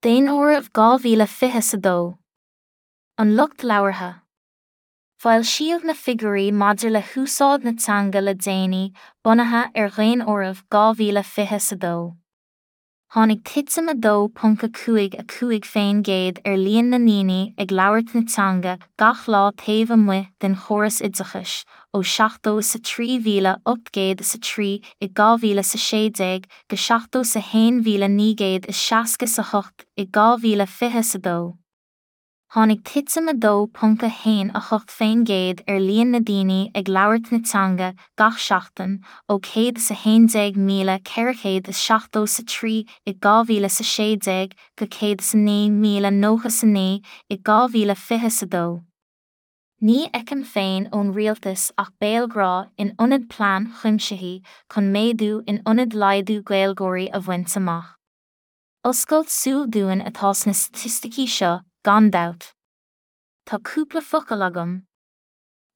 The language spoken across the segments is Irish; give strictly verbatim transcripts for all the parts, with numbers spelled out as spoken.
Daonáireamh dhá mhíle fiche a dó. An lucht labhartha. Foilsíodh na figiúirí maidir le húsáid na teanga le déanaí, bunaithe ar Dhaonáireamh dhá mhíle fiche a dó. Tháinig titim a dó ponc a cúig a cúig faoin gcéad ar líon na ndaoine ag labhairt na teanga gach lá taobh amuigh den chóras oideachais, ó seachtó is a trí mhíle ocht gcéad is a trí i dhá mhíle is a sé déag go seachtó is a haon mhíle naoi gcéad is seasca is a hocht i dhá mhíle fiche a dó. Tháinig titim a dó ponc a haon a hocht faoin gcéad ar líon na ndaoine ag labhairt na teanga gach seachtain, ó céad is a haon déag míle ceithre chéad is seachtó is a trí i dhá mhíle is a sé déag go céad is a naoi míle nócha is a naoi i dhá mhíle fiche a dó. Ní fheicim féin ón rialtas ach béalghrá in ionad plean cuimsithigh chun méadú in ionad laghdú Gaeilgeoirí a bhaint amach. Oscailt súl dúinn atá sna staitisticí seo, gan dabht. Tá cúpla focal agam.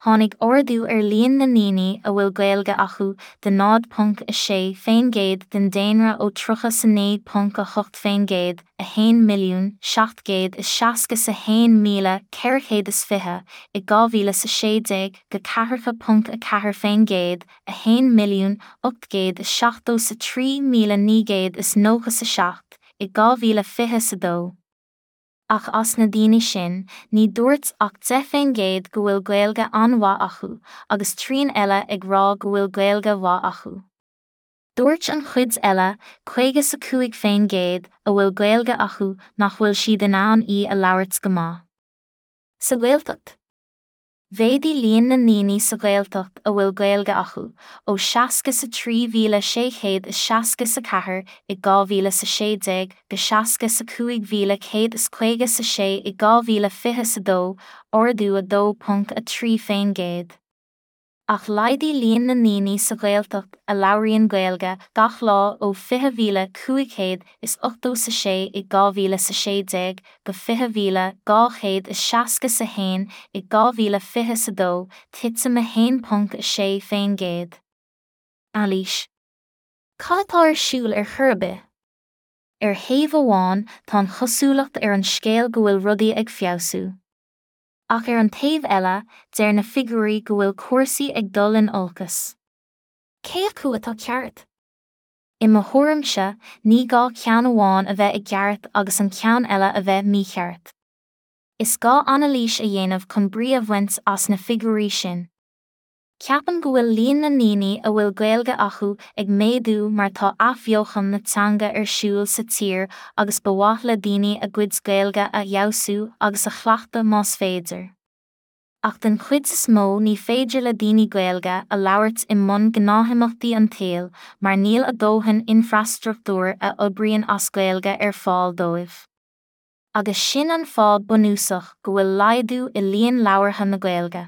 Tháinig ardú ar líon na ndaoine a bhfuil Gaeilge acu de náid ponc a sé faoin gcéad den daonra ó tríocha is a naoi ponc a hocht faoin gcéad, a haon milliún seacht gcéad is seasca is a haon míle ceithre chéad is fiche i dhá mhíle is a sé déag go ceathracha ponc a ceathair faoin gcéad, a haon milliún ocht gcéad is seachtó is a trí míle naoi gcéad is nócha is a seacht i dhá mhíle fiche a dó. Ach as na daoine sin, ní dúirt ach deich faoin gcéad go bhfuil Gaeilge an-mhaith acu, agus trian eile ag rá go bhfuil Gaeilge mhaith acu. Dúirt an chuid eile, caoga is a cúig faoin gcéad, a bhfuil Gaeilge acu nach bhfuil siad in ann í a labhairt go maith. Sa Ghaeltacht. Mhéadaigh líon na ndaoine sa Ghaeltacht a bhfuil Gaeilge acu, ó seasca is a trí mhíle sé chéad is seasca is a ceathair i dhá mhíle is a sé déag go seasca is a cúig mhíle céad is caoga is a sé i dhá mhíle fiche a dó, ardú a dó ponc a trí faoin gcéad. Ach laghdaigh líon na ndaoine sa Ghaeltacht a labhraíonn Gaeilge gach lá ó fiche mhíle cúig chéad is ochtó is a sé i dhá mhíle is a sé déag go fiche mhíle dhá chéad is seasca is a haon i dhá mhíle fiche a dó, titim a haon ponc a sé faoin gcéad. Anailís. Cad atá ar siúl ar chor ar bith? Ar thaobh amháin tá an chosúlacht ar an scéal go bhfuil rudaí ag feabhsú. Ach ar an taobh eile, deir na figiúirí go bhfuil cúrsaí ag dul in olcas. Cé acu atá ceart? I mo thuairimse, ní gá ceann amháin a bheith i gceart agus an ceann eile a bheith mícheart. Is gá anailís a dhéanamh chun brí a bhaint as na figiúirí sin. Ceapaim go bhfuil líon na ndaoine a bhfuil Gaeilge acu ag méadú mar tá athbheochan na teanga ar siúl sa tír agus ba mhaith le daoine a gcuid Gaeilge a fheabhsú agus a chleachtadh más féidir. Ach den chuid is mó ní féidir le daoine Gaeilge a labhairt i mbun gnáthimeachtaí an tsaoil mar níl a dóthain infreastruchtúr a oibríonn as Gaeilge ar fáil dóibh. Agus sin an fáth bunúsach go bhfuil laghdú i líon labhartha na Gaeilge.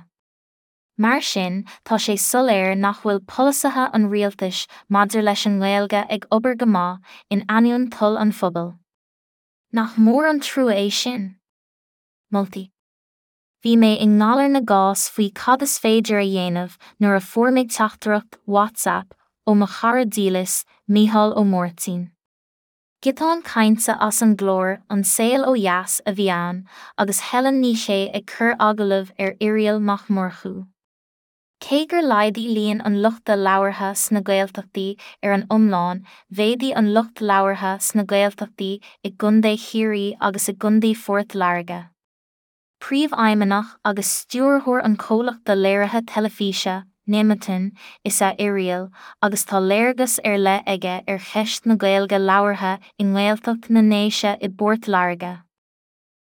Mar sin, tá sé soiléir nach bhfuil polasaithe an rialtais maidir leis an nGaeilge ag obair go maith in ainneoin toil an phobail. Nach mór an trua é sin? Moltaí. Bhí mé i ngalar na gcás faoi cad is féidir a dhéanamh nuair a fuair mé teachtaireacht WhatsApp ó mo chara dílis, Mícheál Ó Máirtín. Giotán cainte as an gclár An Saol Ó Dheas a bhí ann, agus Helen Ní Shé ag cur agallamh ar Irial Mac Murchú. Cé gur laghdaigh líon an luchta labhartha sna Gaeltachtaí ar an iomlán, mhéadaigh an lucht labhartha sna Gaeltachtaí i gContae Chiarraí agus i gContae Phort Láirge. Príomhfheidhmeannach agus stiúrthóir an chomhlachta léirithe teilifíse, Nemeton, is ea Irial, agus tá léargas ar leith aige ar cheist na Gaeilge labhartha i nGaeltacht na nDéise i bPort Láirge.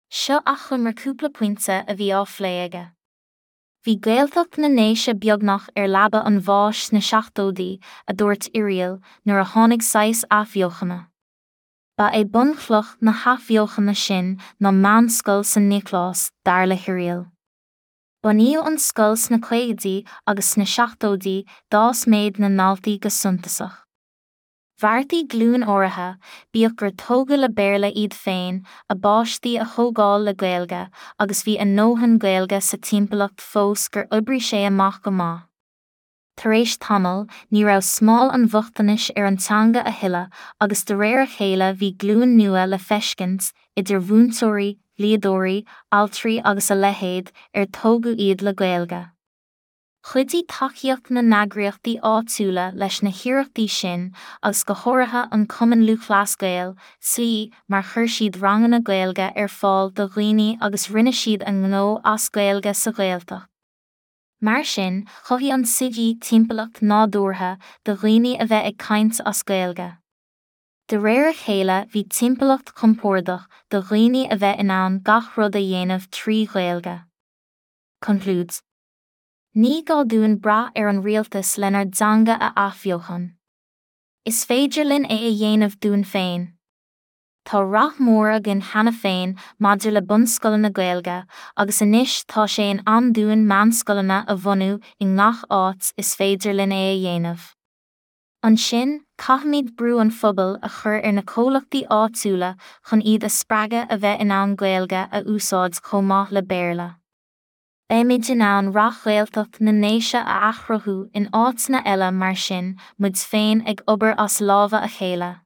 Seo achoimre cúpla pointe a bhí á phlé aige. Bhí Gaeltacht na nDéise beagnach ar leaba an bháis sna seachtóidí, a dúirt Irial, nuair a tháinig saghas athbheochana. Ba é bunchloch na hathbheochana sin ná meánscoil San Nioclás, dar le hIrial. Bunaíodh an scoil sna caogaidí agus sna seachtóidí d'fhás méid na ndaltaí go suntasach. Bheartaigh glúin áirithe, bíodh gur tógadh le Béarla iad féin, a bpáistí a thógáil le Gaeilge, agus bhí a ndóthain Gaeilge sa timpeallacht fós gur oibrigh sé amach go maith. Tar éis tamaill, ní raibh smál an bhochtanais ar an teanga a thuilleadh agus de réir a chéile bhí glúin nua le feiscint, idir mhúinteoirí, dhlíodóirí, altraí agus a leithéid, ar tógadh iad le Gaeilge. Chuidigh tacaíocht na n-eagraíochtaí áitiúla leis na hiarrachtaí sin agus go háirithe an Cumann Lúthchleas Gael, C, mar chuir siad ranganna Gaeilge ar fáil do dhaoine agus rinne siad a ngnó as Gaeilge sa Ghaeltacht. Mar sin, chothaigh an C G timpeallacht nádúrtha do dhaoine a bheith ag caint as Gaeilge. De réir a chéile bhí timpeallacht chompordach do dhaoine a bheith in ann gach rud a dhéanamh trí Ghaeilge. Concludes. Ní gá dúinn brath ar an rialtas lenár dteanga a athbheochan. Is féidir linn é a dhéanamh dúinn féin. Tá rath mór againn cheana féin maidir le bunscoileanna Gaeilge, agus anois tá sé in am dúinn meánscoileanna a bhunú i ngach áit is féidir linn é a dhéanamh. Ansin, caithfimid brú an phobail a chur ar na comhlachtaí áitiúla chun iad a spreagadh a bheith in ann Gaeilge a úsáid chomh maith le Béarla. Beimid in ann rath Ghaeltacht na nDéise a athchruthú in áiteanna eile mar sin, muid féin ag obair as lámha a chéile.